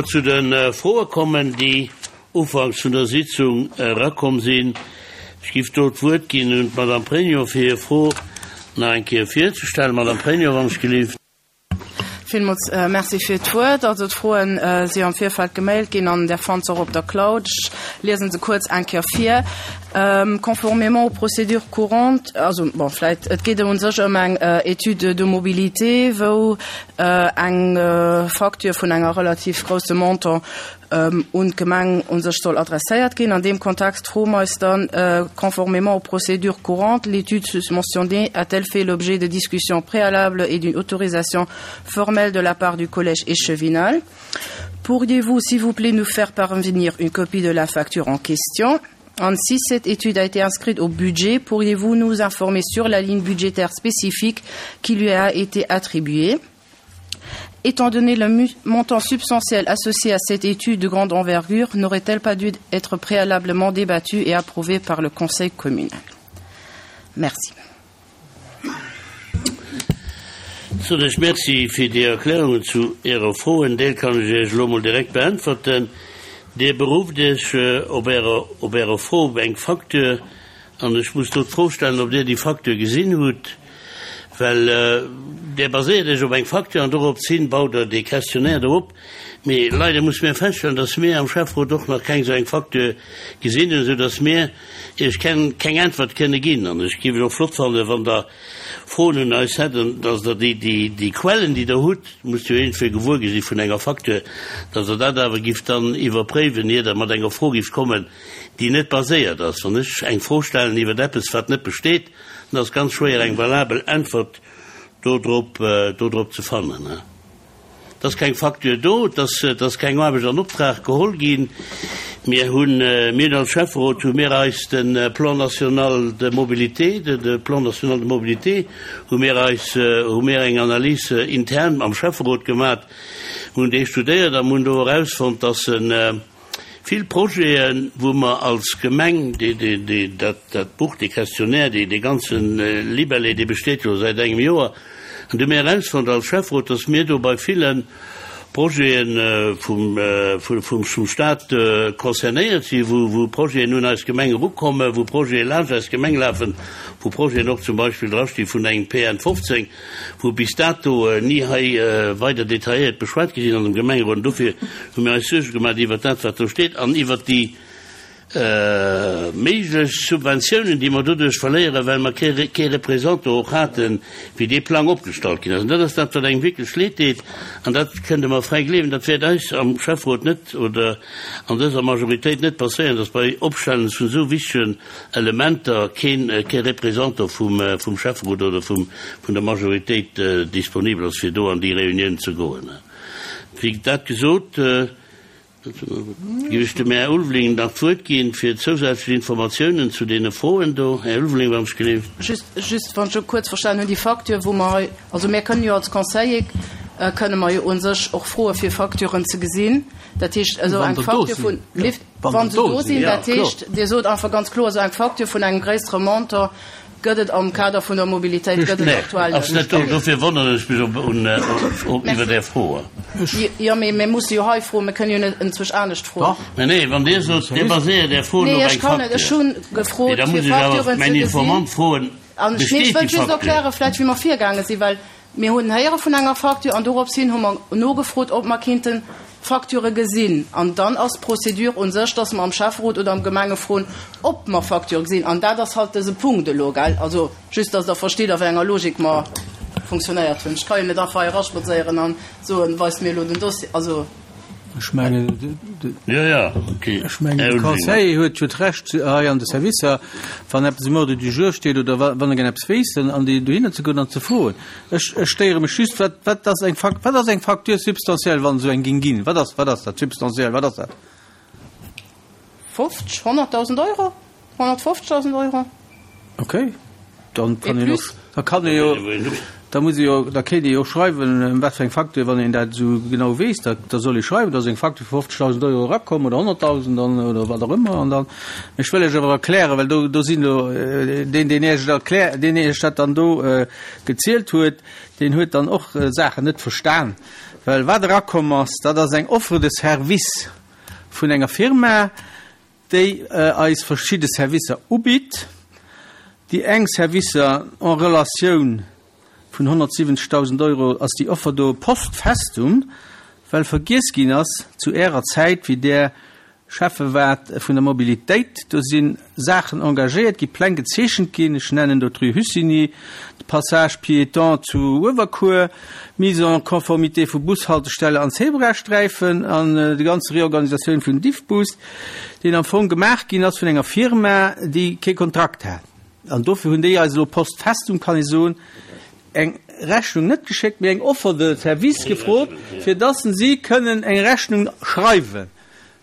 Zu de Froe kommen, déi ufanks vun der Sitzung erakomm sinn. Ech géif do d'Wuert ginn un d'Madame Pregno, fir hir Fro nach eng Kéier virzestellen. Madame Pregno, wann ech gelift. Villmools Merci fir d'Wuert. Also d'Froen si am Virfeld gemailt ginn an där fannt se och op der Cloud. Ech liese se kuerz eng Kéier vir. Conformément aux procédures courantes, also bon, vläicht, et geet u sech ëm eng Étude de mobilité, wou eng Facture vun enger relativ grousse Montant un d'Gemeng u sech soll adresséiert ginn. An deem Kontext froe mer eis dann, Conformément aux procédures courantes, l'étude susmentionnée a-t-elle fait l'objet de discussions préalables et d'une autorisation formelle de la part du collège échevinal? Pourriez-vous, s'il vous plaît, nous faire parvenir une copie de la facture en question? An si cette étude a été inscrite au budget, pourriez-vous nous informer sur la ligne budgétaire spécifique qui lui a été attribuée? Étant donné le montant substantiel associé à cette étude de grande envergure, n'aurait-elle pas dû être préalablement débattue et approuvée par le conseil communal? Merci. Soen ech Merci fir déi Erklärungen zu Äre Fro. En Deel kann ech Iech elo mol direkt beäntwerten. Dir berufft Iech op Ärer, op Ärer Fro op eng Facture an ech muss do d'Fro stellen, ob Dir déi Facture gesinn hutt, well Dir baséiert Iech op eng Facture an doropshin baut Der dee Questionnaire do op. Mee leider musse mir feststellen, dass mir am Schäfferot och nach keng esou eng Facture gesinn hunn, esou dass mir Iech keng Äntwert kënne ginn. An ech géif et och flott fannen, wann Der Froen un eis hätt, dass Der déi, déi Quellen, déi Der hutt, musst jo iergendwéi gewuer gi si vun enger Facture, dass Der dat awer gifft dann iwwerpréiwen, ier Der mat enger Fro gifft kommen, déi net baséiert ass. Wann ech eng Fro stellen iwwer eppes, wat net besteet, dann ass et ganz schwéier, eng valabel Äntwert dodrop, dodrop ze fannen. Et ass keng Facture do, et ass, et ass keng Aarbecht an Optrag geholl ginn. Mir hunn, mir hunn als Schäfferot hu mir eis de Plan national de mobilité, de, de Plan national de mobilité hu mir eis, hu mir eng Analyse intern am Schäfferot gemat, hunn dee studéiert a hunn do erausfonnt, dass en, Vill Projeten, wou mer als Gemeng, dat Buch, dee Questionnaire, dee ganze Libellé, dee besteet jo säit engem Joer, an do hu mir erausfonnt als Schäfferot, dass mir do bei ville Projete vum Stat concernéiert sinn, wou Projeten un eis Gemeng erukommen, wou Projete laanscht eis Gemeng lafen, wou Projeten och zum Beispill drasti vun engem PN 15, wou bis dato ni hei weider detailléiert beschwat gi sinn an dem Gemengerot. An dofir hu mir eis Suerge gemaach iwwert dat, wat do steet an iwwert déi méiglech Subventiounen, déi mer doduerch verléieren, well mer kee Représentant och haten, wéi dee Plang opgestallt ginn ass. An dat ass dat, wat engem wierklech leed deet. An dat kënnt Der mer fräi gleewen, dat wäert eis am Schäfferot net oder an dëser Majoritéit net passéieren, dass bei Opstellen vun esou wichtegen Elementer keen kee Représentant vum vum Schäfferot oder vum vun der Majoritéit disponibel ass fir do an déi Reunioun ze goen. Wéi dat gesot, géif ech dem Här Ulveling nach d'Wuert ginn fir zousätzlech Informatiounen zu deene Froen do. Här Ulveling, wann ech gelift. Just, just wann ech kuerz verstanen hunn, déi Facture wou mer hei, also mir kënnen jo als Conseiller kënne mer jo u sech och froe fir Facturen ze gesinn. Dat heescht esou eng Facture vun, lift, Wann se do sinn, dat heescht, Dir sot einfach ganz kloer, esou eng Facture vun engem gréissere Montant gëtt et am Kader vun der Mobilitéit gëtt et aktuell net. Ass net do. Dofir wonneren ech mech op iwwer Är Fro. Jo, mee mir musse jo hei froen, mir kënnen jo net enzwousch anescht froen. Mä nee, wann Dir sot, Dir baséiert Är Froen op eng Facture. Nee, ech kann net. Ech hu gefrot, fir Facturen ze gesinn. Mäin Informant froen, besteet déi Facture? Ech wëll just erklären, vläicht, wéi mer virgaange sinn, well Mir hunn héiere vun enger Facture an dorops hin hu mer nogefrot, ob mer kinnten Facturë gesinn. An dann ass d'Procédure u sech, dass mer am Schäfferot oder am Gemenge froen, ob mer Facturë gesinn. An dat ass halt dëse Punkt elo, gell? Also just, dass Der verstitt, a wéi enger Logik mer funktionéiert hunn. Ech ka jo net einfach hei eraspadséieren a soen, Weist mir elo den Dossier. Also. Ech mengen, de Conseiller huet jo d'Recht hei an de Servicer, wann eppes um Ordre du jour steet oder wann e gär eppes wéisst, an déi dohinner ze goen an ze froen. Ech stéiere mech just, wat, wat ass eng Fac, wat ass eng Facture substantielle, wann esou eng géing ginn? Wat ass, wat ass dat substantiell, wat ass dat? 50, 100.000 Euro, 150.000 Euro. Okay, dann kann een och, da kann ee jo, da muss ee jo, da kéint ee jo och schreiwen, ëm wat fir eng Facture, wann een dat esou genau weess, da, da soll ee schreiwen, da ass eng Facture vu 50.000 Euro erakomm oder 100.000 an, oder wat och ëmmer. An dann, ech wëll Iech awer erklären, well do, do sinn elo, deen, deen Iech et erklär, deen Iech dat dann do gezielt huet, deen huet dann och Saachen net verstan. Well wat erakomm ass, dat ass eng Offre de service vun enger Firma, déi eis verschidde Servicer ubitt. Déi eng Servicer en Relatioun vun 170.000 Euro ass déi Offer do post festum, well vergiess ginn ass zu Ärer Zäit, wéi Der Schäffe waart vun der Mobilitéit, do si Saachen engagéiert gi, Pläng gezeechent ginn, ech nennen do d'Rue Hussigny, de Passage piéton zu Uewerkuer, d'Mise en conformité vu Bushaltestelle an Zebrasträifen an déi ganz Reorganisatioun vun Diffbus, deen am Fong gemaach ginn ass vun enger Firma, déi kee Kontrakt hat. An dofir hunn déi eis elo post festum, kann ee soen, eng Rechnung net geschéckt, mee eng Offer de service gefrot, fir dass si kënnen eng Rechnung schreiwen.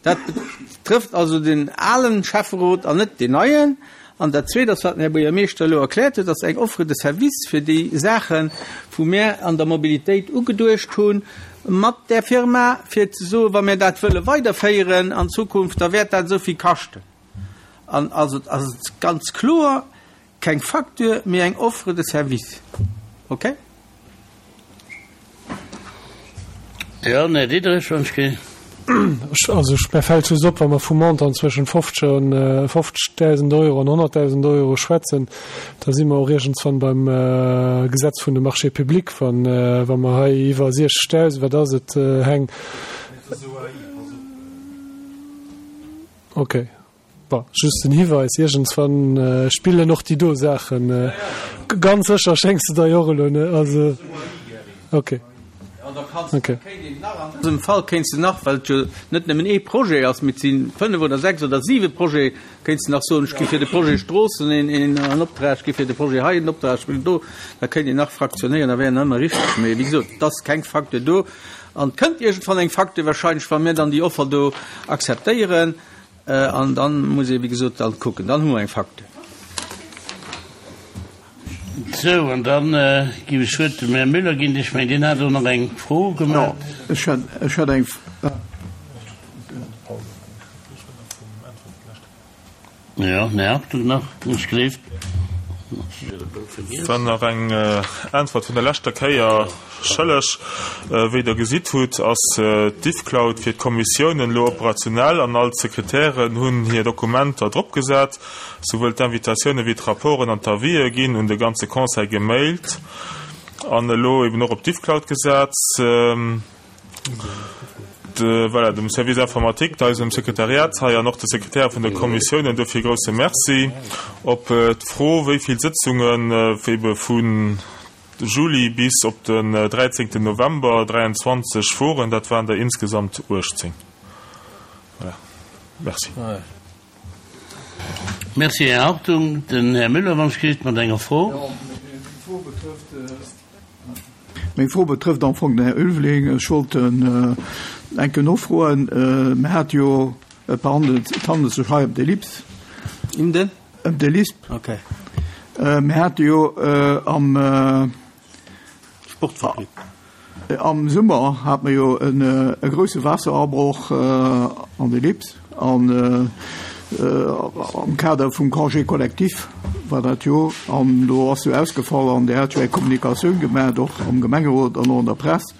Dat betrëfft also den alen Schäfferot an net deen neien. An dat Zweet ass, wat den Här Buergermeeschter elo erkläert huet, ass eng Offre de service fir déi Saachen, wou mir an der Mobilitéit ugeduecht hu mat där Firma, fir ze soen, wa mir dat wëlle weiderféieren an Zukunft, da wäert dat esou vill kaschten. An also ass et ganz kloer, Keng Facture, mee eng Offre de service. Ok? Jo, den Här Diderich, wann ech ge. Also ech, mär fält just op, wa mer vu Montant zwëschen 50 an 50.000 Euro an 100.000 Euro schwätzen, da si mer och iergendswann beim Gesetz vun de Marchés publics, wann, wa mer hei iwwer 60.000, wat ass et, Heng? Ok. Bon, just en Hiweis, iergendswann spillen och déi do Saachen. Ganz sécher schéngs de der jo och elo net, also ok. Ok. An dësem Fall kéints de nach, well et jo net nëmmen ee Projet ass, mee et si fënnef oder sechs oder siwe Projete, kéints de nach soen, ech gi fir de Projet Stroossen een Optrag, ech gi fir de Projet hei en Optrag, ech wëll do. Da kéint een nach fraktionéieren, da wär een ëmmer richteg. Mee wéi gesot, et ass keng Facture do an et kënnt iergendwann eng Facture wahrscheinlech, wa mir dann déi Offer do akzeptéieren. An dann muss ee wéi gesot dann kucken, dann hu mer eng Facture. Sou, an dann géif ech d'Wuert dem Här Müller ginn. Ech mengen, deen hat och nach eng Fro gemaach. Jo, ech hätt, ech hätt eng. Jo, den Här Hartung nach, wann ech gleeft. Dann nach eng Äntwert vun der leschter Kéier schëlleg. Wéi Der gesitt hutt, ass d'Diffcloud fir d'Kommissiounen elo operationell an all d'Sekretären hunn hir Dokumenter drop gesat. Souwuel d'Invitatioune wéi d'Rapporten an d'Avisë ginn un de ganze Conseil gemailt an elo eben och op d'Diffcloud gesat. Voilà, dem Service informatique, eisem Sekretariat hei an och de Sekretäre vun de Kommissiounen dofir e grousse Merci. Op d'Fro, wéi vill Sëtzungen ebe vu Juli bis op den 13 November 23 woren, dat waren der insgesamt 18. Voilà, merci. Merci, Här Hartung. Den Här Müller, wann ech gelift, mat enger Fro. Meng Fro betrëfft am Fong den Här Ulveling. Ech wollt en eng Kéier nofroen. Mir hate jo, et behandelt, et handelt sech hei ëm de LIPS. Ëm den? Ëm de LISP. Okay. Mir hate jo am. Sportfabrik. Am Summer hat mer jo e grousse Waasserabroch an de Lips an am Kader vum Congé collectif war dat jo an do ass jo ausgefall an Dir hat jo eng Kommunikatioun gemaacht och am Gemengerot an och an der Press.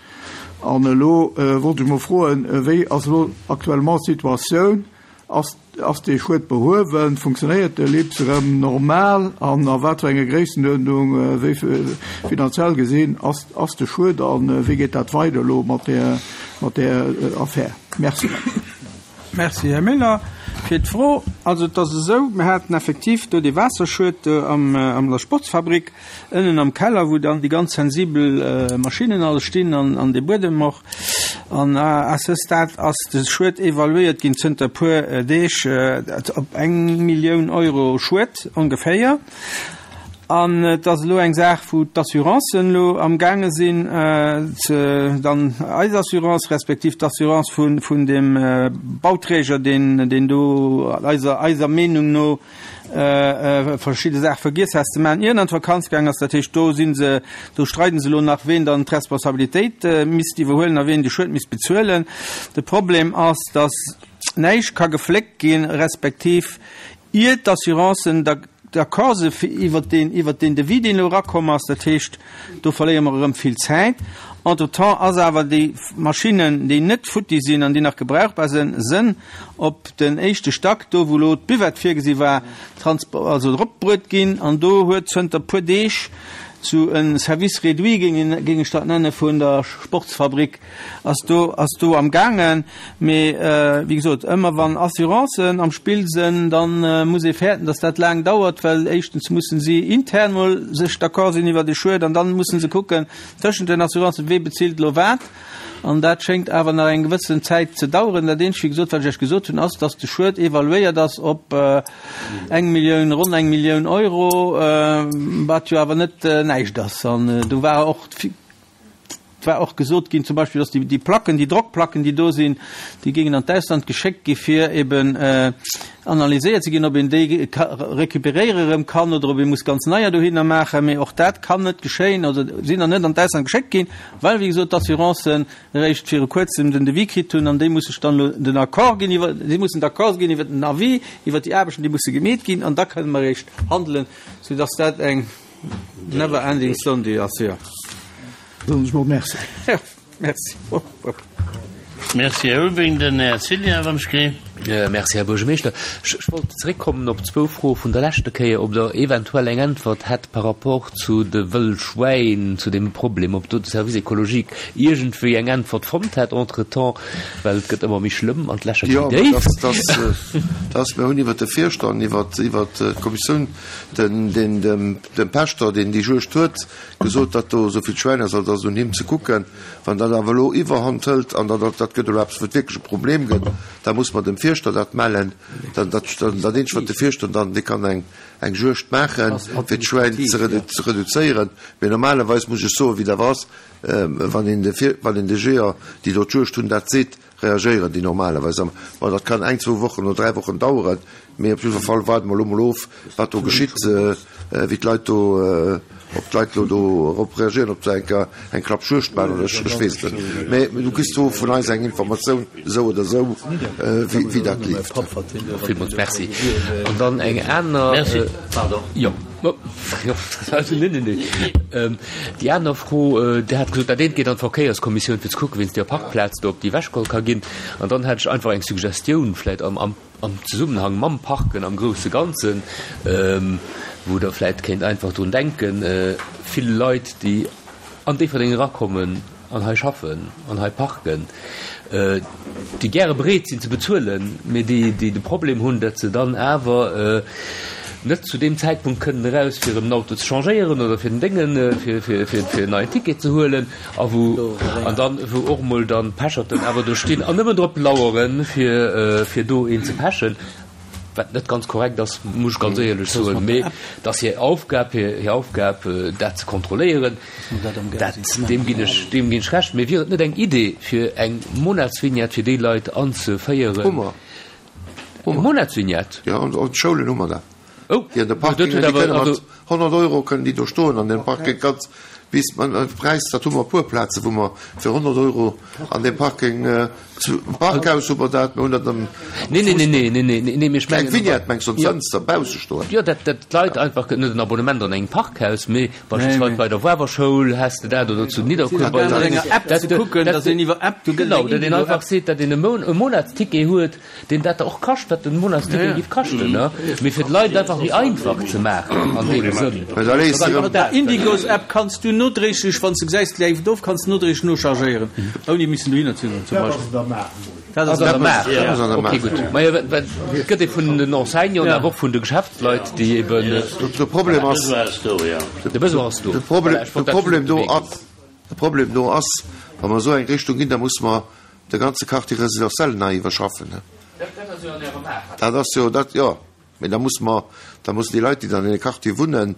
An elo wollt ech mol froen, wéi ass elo actuellement d'Situatioun? Ass Ass dee Schued behuewen? Funktionéiert de LIPS erëm normal? An a wat fir enger Gréissenuerdnung, wéi finanziell gesinn, ass ass de Schued a wéi geet dat weider elo mat där mat där Affär? Merci. Merci, Här Miller, fir d'Fro. Also et ass esou, mir haten effektiv do dee Waasserschued am an der Sportsfabrik ënnen am Keller, wou dann déi ganz sensibel Maschinnen alles stinn an an dee Buedem och. An à ce stade ass de Schued evaluéiert ginn zënter e puer Deeg op eng Millioun Euro Schued ongeféier. An et ass elo eng Saach, wou d'Assurancen elo amgaange sinn ze dann eis Assurance respektiv d'Assurance vun deem Bauträger, deen do eiser Meenung no verschidde Saache vergiess has ze maachen, ier en an d'Vakanz gaang ass. Dat heescht, do si se, do streiden se elo nach, ween dann d'Responsabilitéit misst iwwerhuelen a ween de Schued misst bezuelen. De Problem ass, datt näischt ka gefléckt ginn, respektiv ier d'Assurancen da. d'accord se fir iwwert deen, iwwert deen Devis, deen elo erakomm ass. Dat heescht, do verléiere mer erëm vill Zäit. Entretemps ass awer déi Maschinnen, déi net futti sinn an déi nach gebrauchbar sinn, sënn op den éischte Stack, do wou elo d'Buvette virgesi war, transpo-, also eropbruet ginn. An do huet zënter puer Deeg sou e Service réduit, géing een, géing ech dat nenne, vun der Sportsfabrik ass do, ass do am gaangen. Mee wéi gesot, ëmmer wann Assurancen am Spill sënn, da muss ee fäerten, datt dat laang dauert, well éischtens mussen si intern mol sech d'accord sinn iwwert e Schued an dann mussen se kucken tëschent den Assurancen, wee bezilt elo wat. An dat schéngt awer nach eng gewëssen Zäit ze daueren. Dat eenzegt, wéi gesot, wat ech Iech gesot hunn, ass, datt de Schued evaluéiert ass op eng Millioun, ronn eng Millioun Euro, wat jo awer net näischt ass. An do war och Et war och gesot ginn, zum Beispill, dass déi Placken, déi Drockplacken, déi do sinn, déi géingen an d'Ausland geschéckt gi fir eben analyséiert ze ginn, ob een déi récupéréiere erëm kann oder ob ee muss ganz neier dohinner maachen. Mee och dat kann net geschéien oder sinn nach net an d'Ausland geschéckt ginn, well, wéi gesot, d'Assurancen eréischt viru Kuerzem den Devis kritt hunn an déi musse sech dann elo den Accord ginn iwwer, si mussen d'accord ginn iwwer den Avis, iwwer déi Aarbechten, déi musse gemeet ginn an da kënne mer eréischt handelen, soudass dat eng Never ending Sunday ass jo. Soen ech mol Merci. Jo, Merci. Merci, Här Ulbing. Den Här Cillien, wann ech kri. Merci, Här Buergermeeschter. Ech wollt zeréckkommen op zwou Froe vun der leschter Kéier, ob Der eventuell eng Äntwert hätt par rapport zu de Wëllschwäin, zu deem Problem, ob do de Service écologique iergendwéi eng Äntwert fonnt hätt entretemps, well et gëtt ëmmer méi schlëmm an d'Lächer gi méi déif. Jo, dass mir hunn iwwert de Fierschter an iwwert d'Kommissioun den, den, dem, dem Pächter, deen déi Juegd huet, gesot, datt do esou vill Schwäin ass, also ass et un him ze kucken. Wann dat awer elo Iwwerhand hëlt an dat, dat gëtt elo eppes, wou et wierklech e Problem gëtt, da muss mer dem Fierschter dat mellen. Dann, dat, dann, dat eenzegt, wat de Fierschter dann, dee kann eng, eng Juegd maachen, fir d'Schwäin ze redu, ze reduzéieren. Mee normalerweis muss ech soen, wéi dat ass, wann een de Fier, wann een de Jeeër, déi do d'Juegd hunn, dat seet, reagéieren déi normalerweis am, bon dat kann eng, zwou Wochen oder 3 Wochen daueren, mee op jiddwer Fall waarde mer elo mol of, wat do geschitt, wéi d'Leit do, ob d'Leit elo do erop reagéieren, ob se eng Kéier eng Klapp Juegd maachen oder ech weess et net. Mee du kriss do vun eis eng Informatioun esou oder esou, wéi dat leeft. Villmools Merci. An dann eng aner. Merci. Pardon. Jo. Déi aner Fro, Dir hat gesot, dat eent geet an d'Verkéierskommissioun, fir ze kucken, wéinst deer Parkplaz do, ob déi ewechgeholl ka ginn. An dann hätt ech einfach eng Suggestioun, vläicht am Zesummenhang mam Parken am grousse Ganzen, wou Der vläicht kéint einfach drun denken, vill Leit, déi an Déifferdeng erakommen an hei schaffen an hei parken, déi gäre bereet sinn ze bezuelen, mee déi de Problem hunn, datt se dann awer net zu deem Zäitpunkt kënnen eraus, fir erëm den Auto ze changéieren oder fir den Déngen, fir en neien Ticket ze huelen, a wou an dann wou och emol dann d'Pecherten awer do stinn an nëmmen drop laueren, fir do een ze pechen. Wat net ganz korrekt ass, muss ech ganz éierlech soen, mee et ass hir Aufgab, hir Aufgab, dat ze kontrolléieren. Dat, deem ginn ech, deem ginn ech Recht. Mee wier et net eng Idee, fir eng Monatsvignette fir déi Leit anzeféieren? Hu mer. Eng Monatsvignette? Jo, an de Schoulen hu mer dat. Oh, Déi an de Parkingen, déi kënne mat 100 Euro kënnen déi do stoen an deem Parking ganz bis man de Präis, dat hu mer e puer Plaze wou mer fir 100 Euro an deem Parking, zu Parkhaus hu mer dat, mer hunn dat am Nee, nee, nee, nee, nee, nee, nee, mee ech mengen. Eng Vignette mengs du, an d'Fënster bausse stoen? Jo, dat, dat d'Leit einfach, net en Abonnement an engem Parkhaus, mee beispillsweis bei der Woarwer Schoul häss de dat oder zu Nidderkuer bei der. Enger App ze kucken, dass een iwwer App, do gëtt Genau, dat een einfach seet, dat een e Moun, e Monatsticket huet, Deen dat och kascht, wat den Monatsticket giff kaschten, ne? Mee fir d'Leit einfach méi einfach ze maachen an deem Sënn. Mat der Indigos App kanns du nodréiglech, wann s de gesäis, et leeft of, kanns du nodréiglech nochargéieren, ouni missen dohinner ze goen, zum Beispill. Dat ass an der Maach. Ok, gutt. Majo, well et gëtt ee vun den Enseignanten, awer och vun de Geschäftsleit, déi eben. De Problem ass. De Besoin ass do. De Problem do ass, de Problem do ass, wa mer esou eng Richtung ginn, da musse mer de ganze Quartier résidentiel nei iwwerschaffen. Dat ass jo an Ärer Maach. Dat ass jo dat, jo. Mee da muss mer, da mussen déi Leit, déi dann an deene Quartiere wunnen,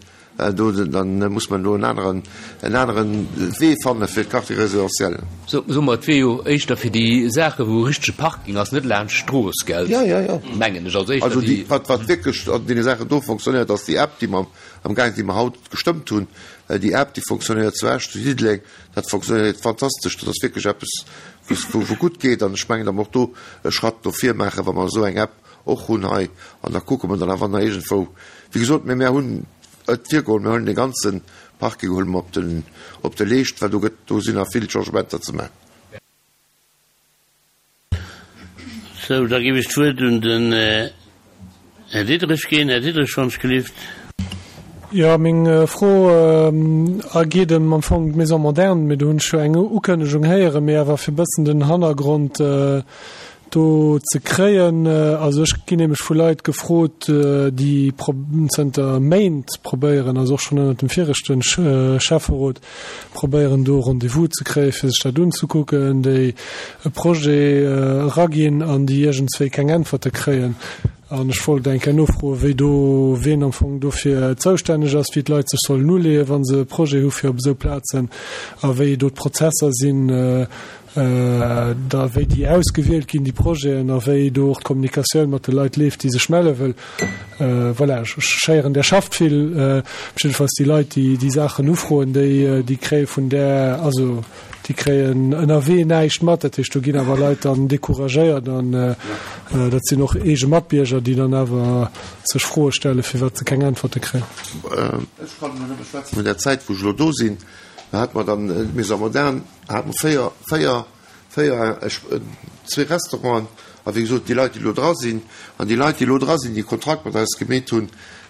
do, dann muss mer do en aneren, en aneren Wee fanne fir d'Quartier résidentiel. So, soe mer, et wier jo éischter fir déi Saache wou e richtege Parking ass, net laanscht d'Strooss, gell? Jo, jo, jo. Mengen ech. Also éischter Also déi. déi, wat, wat wierklech an deene Saachen do fonctionnéiert, ass déi App, déi mer amgaang, déi mer haut gestëmmt hunn. Déi App, déi fonctionnéiert zu Esch, zu Diddeleng. Dat fonctionnéiert fantastesch. Dat ass wierklech eppes, wou wou gutt geet. An ech mengen, datt mer och do e Schratt no vir maachen, wa mer esou eng App. och hunn hei. An da kucke mer dann awer nach iergendwou, wéi gesot, mä mär hunn et virgeholl, mär huelen dee ganze Parking huele mer op den, op de Leescht, well do gëtt, do sinn nach vill Changementer ze maachen. Sou, da géif ech d'Wuert un den Här Diderich ginn. Här Diderich, wann ech gelift. Jo, meng Fro geet ëm am Fong d'Maison moderne, mee do hunn ech jo eng Ukënnegung héieren, mee awer fir e bëssen den Hannergrond do ze kréien. Also ech ginn nämlech vu Leit gefrot, déi zënter Méint probéieren, also och schonn ënnert dem viregte Schäfferot, probéieren do Rendez-vous ze kréien, fir sech dat unzekucken, déi e Projet eraginn an déi iergendswéi keng Äntwerte kréien. An ech wollt eng Kéier nofroen, wéi do, wien am Fong dofir zoustänneg ass, wéi d'Leit sech sollen uleeën, wa se e Projet hu fir op esou Plazen a wéi do d'Prozesser sinn, da wéi déi ausgewielt ginn, déi Projeten, a wéi do och d'Kommunikatioun mat de Leit leeft, déi sech melle wëll. Voilà, ech héieren, Der schafft vill. Jiddefalls déi Leit, déi déi Saachen ufroen, déi, déi kréie vun där, also déi kréien ënnerwee näischt mat. Dat heescht, do ginn awer Leit dann decouragéiert an dat sinn och eege Matbierger, déi dann awer sech Froe stellen, firwat se keng Äntwerte kréien. Ech kann elo nëmme schwätzen vun där Zäit, wou ech elo do sinn. Da hate mer dann d'Maison moderne, hate mer 4, 4, 4, zwee Restauranten a wéi gesot, déi Leit, déi elo dra sinn, an déi Leit, déi elo dra sinn, déi e Kontrakt mat eis gemeet hunn,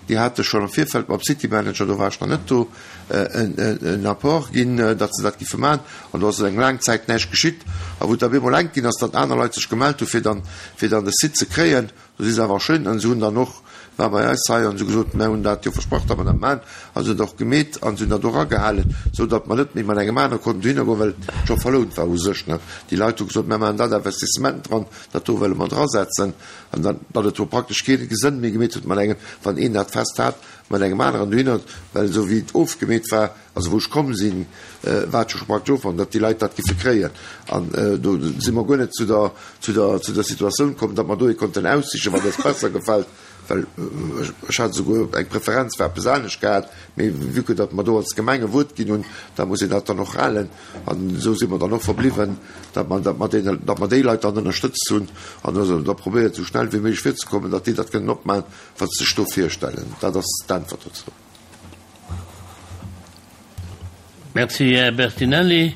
déi hate schonn am Virfeld mam City Manager, do war ech nach net do, en Apport ginn, datt se dat giffe maachen. An do ass eng laang Zäit näischt geschitt. A wou et da bemol enk ginn ass, datt aner Leit sech gemellt hu fir dann, fir dann de Site ze kréien, Do si se awer schön an se hunn dann och, war bei eis hei, an se hu gesot, mär hunn dat jo versprach, datt mer dat maachen, a se hunn dat och gemeet an se hunn dat och agehalen, esou datt mer net méi mat engem anere konnten dohinner goen, well et scho verlount war u sech, ne. Déi Leit hu gesot, mär maachen dat Investissement dran, dat do wëlle mer drasetzen, an dann, datt et do praktesch kee Sënn méi gemeet huet mat engem, wann een dat fest hat, mat engem aneren dohinner, well esou wéi et ofgemeet war, Also wou ech komm sinn, war et jo scho praktesch ofgemaach, datt déi Leit dat giffe kréien. An do si mer guer net zu der, zu der, zu der Situatioun komm, datt mer do ee konnten aussichen, wat eis besser gefält, well ech hat esouguer eng Preferenz fir eppes anescht gehat. Mee vue que datt mer do als Gemeng e Wuert ginn hunn, da muss een dat dann och halen. An esou si mer dann och verbliwwen, datt mer, datt mer deene, datt mer déi Leit dann ënnerstëtzt hunn an hu da probéiert, esou schnell wéi méiglech virzekommen, datt déi dat kënnen opmaachen, wat se sech do virstellen. Dat ass d'Äntwert dozou. Merci, Här Bertinelli.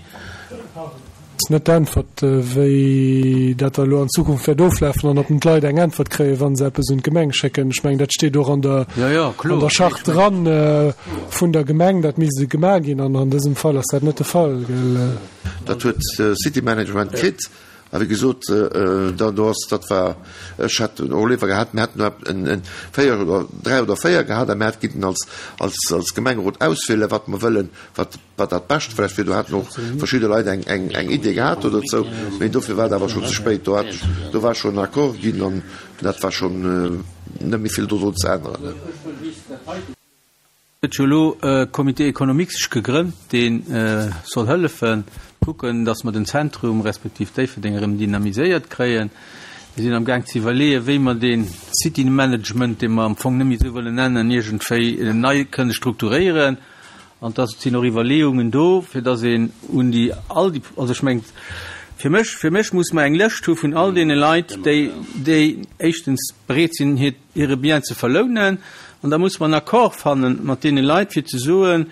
Ass net d'Äntwert, wéi dat da elo an Zukunft wäert oflafen an ob d'Leit eng Äntwert kréien, wa se eppes un d'Gemeng schécken. Ech mengen, dat steet och an der, an der Charte dran vun der Gemeng, dat misst gemaach ginn. An an dësem Fall ass dat net de Fall, gell? Dat huet City Management kritt. A wéi gesot, da do ass, dat war, ech hätt och léiwer gehat, mir hätten do en, en 4 oder 3 oder 4 gehat a mir hätt kinnten als, als, als Gemengerot auswielen, wat mer wëllen, wat, wat dat Bescht vläicht wier. Do haten och verschidde Leit eng, eng, eng Idee gehat do dozou, mee dofir war et awer schonn ze spéit. Do hat, do war schonn en Accord ginn an dat war schonn net méi vill dodrun ze änneren. Huet jo elo e Comité économique sech gegrënnt, dee soll hëllefen, kucken, datt mer den Zentrum respektiv Déifferdeng erëm dynamiséiert kréien. Mir sinn amgaang ze iwwerleeën, wéi mer dee City Management, dee mer am Fong net méi esou wëllen nennen, iergendwéi nei kënne strukturéieren. An da sinn och Iwwerleeungen do, fir datt een un déi all déi, also ech mengen, fir mech, fir mech muss mer eng Lëscht hu vun all deene Leit, déi, déi éischtens bereet sinn, hiert, hire Bien ze verlounen, an da muss mer en Accord fanne mat deene Leit, fir ze soen,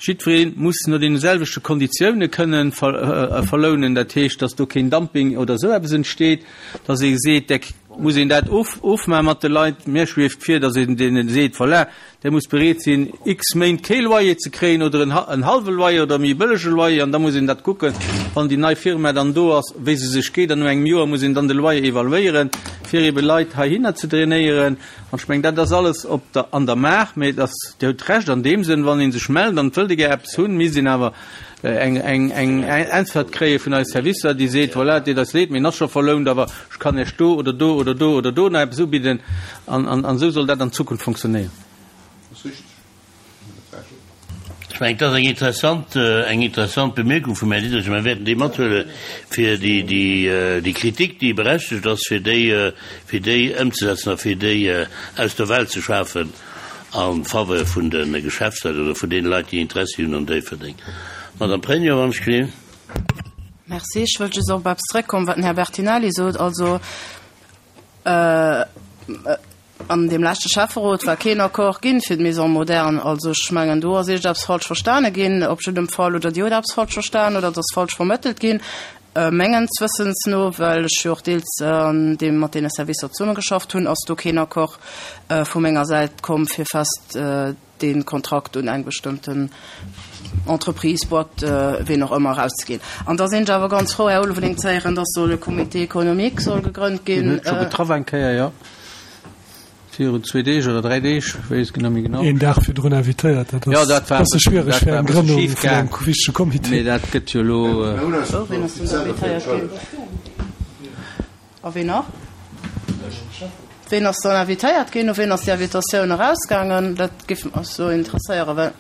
jiddweree muss no deene selwechte Konditioune kënnen verlounen, dat heescht, datt do keen Dumping oder esou eppes entsteet, datt ee seet, da muss een dat ofmaache mat de Leit. Mir schwieft vir, datt een deene seet, voilà, Der musst bereet sinn, x Méint kee Loyer ze kréien oder en hallwe Loyer oder e méi bëllege Loyer. An da muss een dat kucken, wann déi nei Firma dann do ass, wéi se sech geet. An no engem Joer muss een dann de Loyer evaluéieren, fir ebe Leit heihinner ze drainéieren. An ech mengen, dat ass alles op der, an der Maach. Mee et ass, Dir hutt Recht an deem Sënn, wann ee sech mellt an et wëllt ee gär eppes hunn, misst een awer eng, eng, eng Äntwert kréie vun eise Servicer, déi seet, voilà, et deet eis leed, mee en ass scho verlount, awer ech kann Iech do oder do oder do oder do nach eppes ubidden. An, an, an esou soll dat an Zukunft funktionéieren. Ech mengen, et ass eng interessant, eng interessant Bemierkung vum Här Diderich. Mir wäerten déi mathuele fir déi, déi, déi Kritik, déi berechtigt ass, fir déi, fir déi ëmzesetzen a fir déi aus der Welt ze schafen en faveur vun de Geschäftsleit oder vun deene Leit, déi Interessi hunn an Déifferdeng. Madame Pregno, wann ech gelift. Merci. Ech wëllt just op eppes zrëckkommen, wat den Här Bertinelli sot. Also. An deem leschte Schäfferot war keen Accord ginn fir d'Maison moderne. Also ech mengen, do ass iergendeppes falsch verstane ginn, op jiddem Fall, oder Dir hutt eppes falsch verstan oder et ass falsch vermëttelt ginn, mengens Wëssens no, well ech jo och deels an deem mat deene Servicer zesummegeschafft hunn, ass do keen Accord vu menger Säit komm, fir fest dee Kontrakt un eng bestëmmten Entreprise, Boîte, ween och ëmmer, erauszeginn. An da sinn ech awer ganz frou, Här Ulveling, ze héieren, dass soll e Comité économique soll gegrënnt ginn. Deen huet scho getraff eng Kéier, jo, virun zwee Deeg oder dräi Deeg, weess et net méi genau. Een Dag virdrun invitéiert, dat ass e bësse schwiereg fir eng Grënnung vun engem wichtege Comité. Mee dat gëtt jo elo. Oh, ween ass denn da invitéiert ginn? A ween nach? Ween ass dann invitéiert ginn? U ween ass déi Invitatioun erausgaangen? Dat géif mech esou interesséieren, well.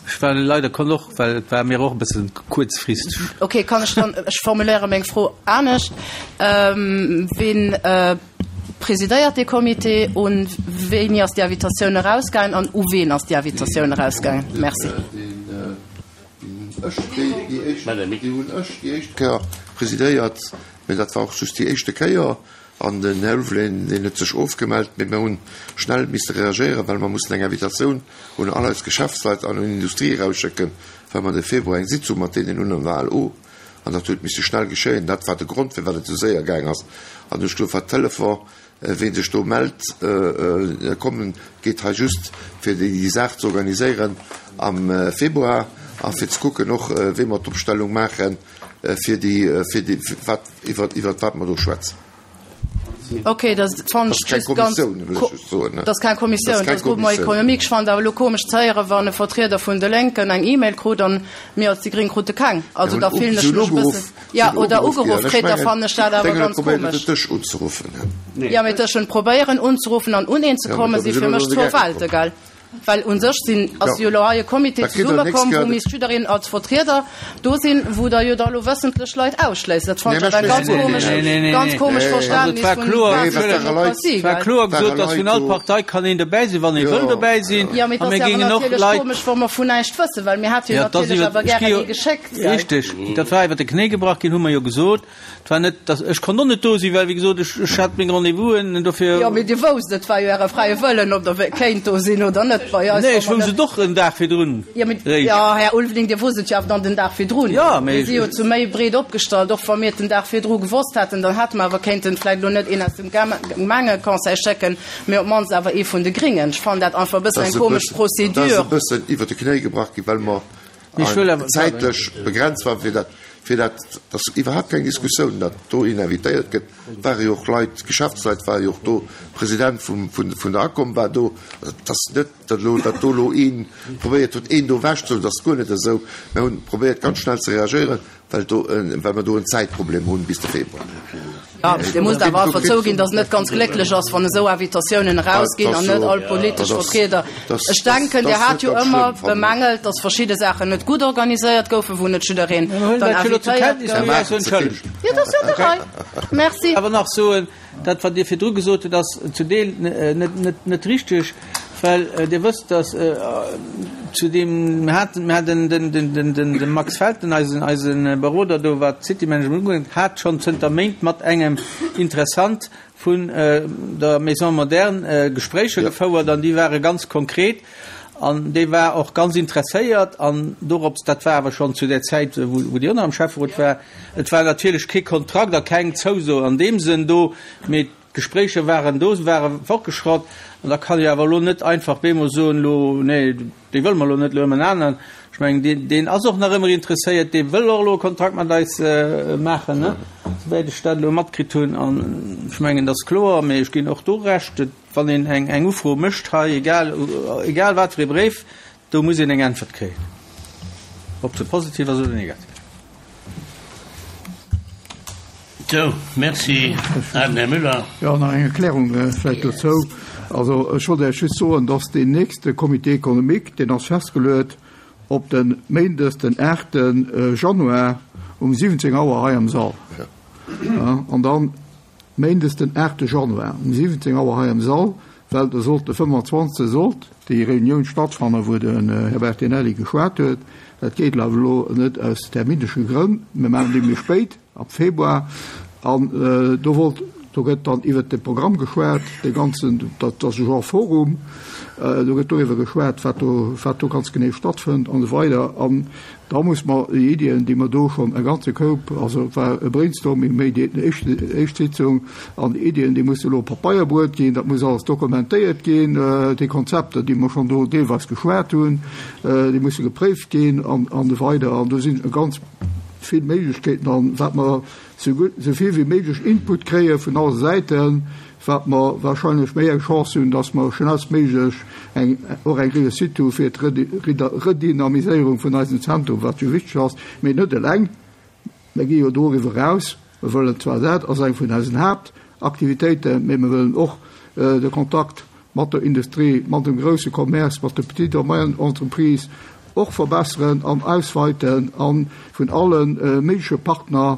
Ech war leider konnt och, well et war mir och e bësse kuerzfristeg. Okay, kann ech dann, ech formuléiere meng Fro anescht, Ween presidéiert dee Comité? Un wéini ass déi Invitatioun erausgaangen an u ween ass déi Invitatioun erausgaangen? Merci. Ech, déi hunn ech déi éischt Kéier presidéiert. Mee dat war och just déi éischte Kéier. An den Här Ulveling, deen huet sech ofgemellt. Mee mir hu schnell misste reagéieren, well mer mussen eng Invitatioun un all eis Geschäftsleit an un d'Industrie erausschécken, well mer de Februar eng Sitzung mat deenen hunn an der ALO. An dat huet misse schnell geschéien. Dat war de Grond, firwat et esou séier gaang ass. An ech duerf hat Telefon, ween sech do mellt, kommen. Et geet hei just, fir déi Saach ze organiséieren am Februar a fir ze kucken och, wéi mer d'Opstellung maachen, fir déi, fir déi, wat, iwwer, iwwer wat mer do schwätzen. Okay, dat fannen ech just ganz, dat ass keng Kommissioun, dat ass Groupement économique. Ech fannen et awer elo komesch ze héieren, wann e Vertrieder vun de Lénken eng E-Mail krut an mir als déi Gréng krute keng. Also da fillen ech mech e bëssen, ja, oder ugeruff kritt, da fannen ech dat awer ganz komesch. Jo, mee tëschent probéieren unzeruffen an un een ze kommen, si fir mech zwou Welte, gell? Well u sech sinn, ass jo elo hei e Comité zesummekomm, wou misst jiddereen als Vertrieder do sinn, wou Der jo da elo wëssentlech Leit ausschléisst. Dat fannen ech awer eng ganz komesch, ganz komesch Verständnis vun Demokratie, Et war kloer gesot, dass vun all Partei kann een dobäi sinn, wann ee wëll dobäi sinn. Jo, mee et A ass mir jo awer géingen och natierlech Leit. komesch, wa mer vun näischt wëssen, well mir hätte jo Jo, et ass natierlech iwwer, awer ech gi gären jo, ee geschéckt, gell? Richtig, dat war iwwer de Knéi gebrach ginn, hu mer jo gesot. Et war net, dass, ech konnt och net do sinn, well, wéi gesot, ech, ech hat meng Rendez-vousen, dofir. Jo, mee Dir wousst, et war jo Äre fräie Wëllen, ob Der kéint do sinn oder net. Bei eis Nee, ech wousst et och en Dag virdrun Jo, mee, réischt. jo, Här Ulveling, Dir wousst et jo awer dann den Dag virdrun. Jo, mee. Mir si jo zu méi breet opgestallt. Och wa mir et den Dag virdru gewosst hätten, dann hätte mer awer kéinten vläicht elo net een aus dem Gemengeconseil schécken, mee op d'mannst awer ee vun de Gringen. Ech fannen dat einfach e bëssen eng komesch Procédure. Dat ass e bëssen iwwer de Knéi gebrach ginn, well mer zäitlech begrenzt war, fir dat, fir dat, dat ass iwwerhaapt keng Diskussioun, datt do een invitéiert gëtt, ware jo och Leit, Geschäftsleit ware jo och do, President vum, vun, vun der ACOM war do. Et ass net, datt elo, datt do elo ee probéiert huet, een do ewechzehuelen, dat ass guer net esou. Mir hunn probéiert, ganz schnell ze reagéieren, well do, well mer do en Zäitproblem hunn bis de Februar. Jo, Dir musst awer einfach zouginn, datt et net ganz glécklech ass, wann esou Invitatiounen erausginn an net all politesch Vertrieder. Ech denken, Dir hat jo ëmmer bemängelt, datt verschidde Saachen net gutt organiséiert goufen, wou net jiddereen dann invitéiert gouf. Jo, dat ass jo an der Rei. Merci. Awer nach soen, Dat, wat Dir virdru gesot hutt, ass zu Deel net richteg, well Dir wësst, datt zu deem, mir haten, mir haten de Max Felten, eisen, eise Beroder do, wat d'City-Management ugeet, hat schonn zënter Méint mat engem Interessant vun der Maison moderne Gespréicher gefouert an déi ware ganz konkret an dee war och ganz interesséiert an dorops, dat war awer schonn zu där Zäit, wou Dir och nach am Schäfferot war, Et war natierlech kee Kontrakt a keng Zouso an deem Sënn do, mee d'Gespréicher waren do, se ware fortgeschratt. An da kann ee awer elo net einfach bemol soen, elo, nee, dee wëlle mer elo net, elo hu mer en aneren. Ech mengen, deen, deen ass och nach ëmmer interesséiert, dee wëll och elo e Kontrakt mat eis maachen, ne, souwäit ech dat elo matkritt hunn. An ech mengen, dat ass kloer, mee ech ginn och do Recht, wann een eng, eng Ufro mécht hei, egal, egal wat fir ee Bréif, Do muss een eng Äntwert kréien, ob se positiv ass oder negativ. Sou, merci. An den Här Müller. Jo, nach eng Erklärung vläicht dozou. Also ech wollt Iech just soen, dass deen nächste Comité économique, deen ass festgeluet op de Méindes den 8 Januar um 17 Auer hei am Sall. An dann Méindes den 8 Januar um 17 Auer hei am Sall, well do sollt de 25 sollt déi Reunioun stattfannen, wou den Här Bertinelli geschwat huet. Dat geet awer elo net aus terminesche Grënn. Mir maachen déi méi spéit, ab Februar. An do wollt. Do gëtt dann iwwert de Programm geschwat, dee ganzen, dat ass e Genre Forum, do gëtt doriwwer geschwat, wat do, wat do ganz genee stattfënnt an esou weider. An da muss mer déi Iddien, déi mer do schonn e ganze Koup, also et war e Brainstorming méi déi éischt, éischt Sitzung, an déi Iddien, déi musse elo op Pabeier bruet ginn, dat muss alles dokumentéiert ginn, déi Konzepter, déi mer schonn do deelweis geschwat hunn, déi musse gepréift ginn an, an esou weider. An do sinn e ganz vill Méiglechkeeten an wat mer sou gutt, sou vill wéi méiglech Input kréie vun alle Säiten, wat mer wahrscheinlech méi eng Chance hunn, dass mer schnellstméiglech eng, och eng Réussite hu fir d'Redynamiséierung vun eisem Zentrum, wat jo wichteg ass. Mee net eleng, mir gi jo doriwwer eraus. Mir wëllen zwar, dat ass eng vun eisen Haaptaktivitéiten, mee mir wëllen och de Kontakt mat der Industrie, mat dem grousse Commerce, mat de Petites a moyennes Entreprises och verbesseren an ausweiten a vun alle méigleche Partner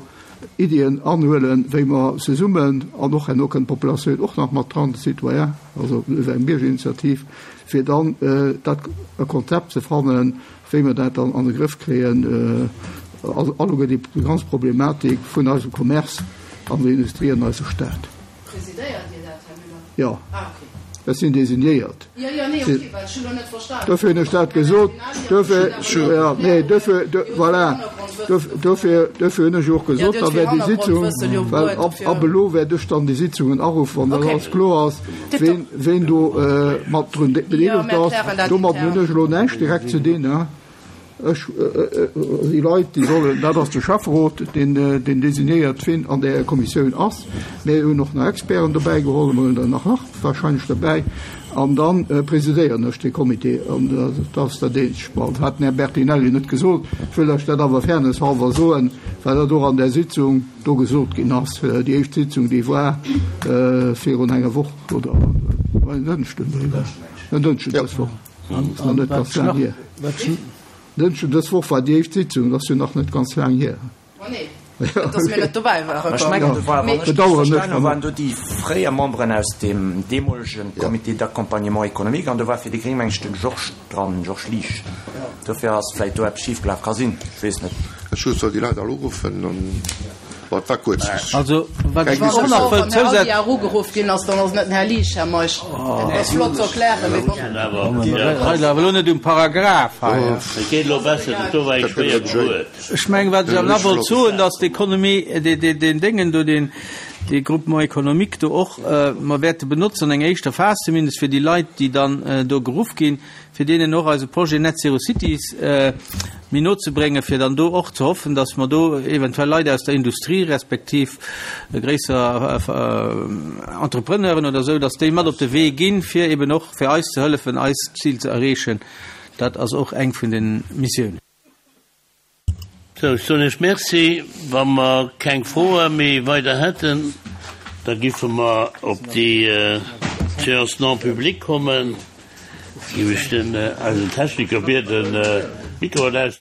Iddien anhuelen, wéi mer zesummen, an och herno kënnt d'Populatioun och nach mat dran, de Citoyen, also iwwer eng Biergerinitiativ, fir dann dat e Konzept ze fannen, wéi mer dat dann an de Grëff kréien, alleguer déi ganz Problematik vun eisem Commerce an der Industrie an eiser Stad. Presidéiert Dir dat, Här Müller? Jo. Ah, okay. Ech sinn designéiert. Jo, jo, nee, okay, well ech hu lo net verstanen. Dofir hunn ech dat gesot. Dofir, jo, nee, dofir, voilà, dofir, dofir hunn ech jo och gesot, da wär déi Sitzung, well ab, ab elo wäert ech dann déi Sitzungen aruffen, wann dat alles kloer ass, ween, ween do mat drun bedeelegt ass. Domadden hunn ech elo näischt direkt ze dinn. Ech, déi Leit, déi sollen, dat ass de Schäfferot, deen, deen designéiert, wien an där Kommissioun ass. Mir hunn och nach Experten dobäi geholl, mir hunn der nach nach wahrscheinlech dobäi. An da presidéieren ech dee Comité. An dat ass dat eenzegt. Bon, dat hat den Här Bertinelli net gesot. Ech wëll lech dat awer fairness halber soen, well dat och an där Sitzung do gesot ginn ass. Déi éischt Sitzung, déi war virun enger Woch oder en Dënschden, en Dënschden dës Woch. Ass nach net ganz laang hier. Dënschden dës Woch war déi éischt Sitzung, dat ass jo nach net ganz laang hier. Oh nee, gutt, dass mir net dobäi waren. Ech mengen, do war, wann ech richteg verstanen hunn, waren do déi fréier Memberen aus deem deemolege Comité d'accompagnement économique an do war fir déi Gréng, meng ech, de Georges dran, Georges Liesch. Dofir ass vläicht do eppes schifgelaf. Ka sinn, ech weess net. Ech soll déi Leit all uruffen an. Bon, et war kuerz. Also, wat ech och nach wëll zousetzen. Wann den Här Aldi erugeruff ginn ass, dann ass et net den Här Liesch, Här Meisch. Et ass flott ze erklären, mee bon. Hei awer elo net um Paragraph hei. Et geet elo besser, dat do war eng schwéier Gebuert. Ech mengen, wat ech awer nach wollt soen, dass d'Economie, deen Déngen do, deen, dee Groupement économique do och, mer wäerte benotzen an enger éischter Phas zumindest, fir déi Leit, déi dann do geruff ginn, fir deenen och eise Projet Net Zero Cities méi no ze bréngen, fir dann do och ze hoffen, dass mer do eventuell Leit aus der Industrie respektiv gréisser Entrepreneuren oder esou, dass déi mat op de Wee ginn, fir eben och fir eis ze hëllefen, eist Zil ze erreechen. Dat ass och eng vun de Missiounen. Sou, ech soen Iech Merci. Wa mer keng Froe méi weider hätten, da giffe mer op déi Séance non publique kommen. Giff ech den eisen Techniker bieden, d'Mikroen aus.